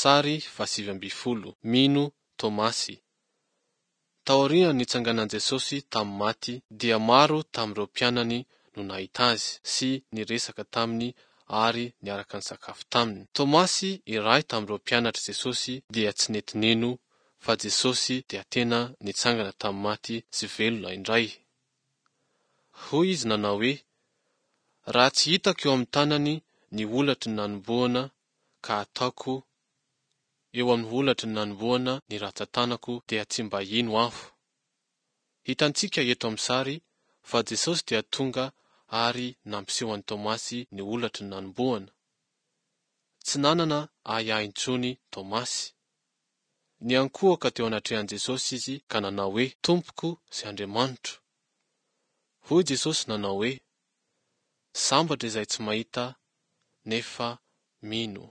Sary faha-19. Mino Tomasy. Taorian'ny nitsanganan'i Jesosy tamin'ny maty, dia maro tamin'ireo mpianany no nahita Azy sy niresaka taminy ary niaraka nisakafo taminy. Tomasy, iray tamin'ireo mpianatr'i Jesosy, dia tsy nety nino fa Jesosy dia tena nitsangana tamin'ny maty sy velona indray. Hoy izy nanao hoe, Raha tsy hitako eo amin'ny tanany ny holatry ny nanombohana ka ataoko eo amin'ny holatry ny nanombohana ny ratsan-tanako dia tsy mba hino aho. Hitantsika eto amin'ny sary fa Jesosy dia tonga ary nampiseho an'i Tomasy ny holatry ny nanombohana. Tsy nanana ahiahy intsony Tomasy. Niankohoka teo anatrehan'i Jesosy izy ka nanao hoe, Tompoko sy Andriamanitro. Hoy Jesosy nanao hoe, Sambatra izay tsy mahita nefa mino.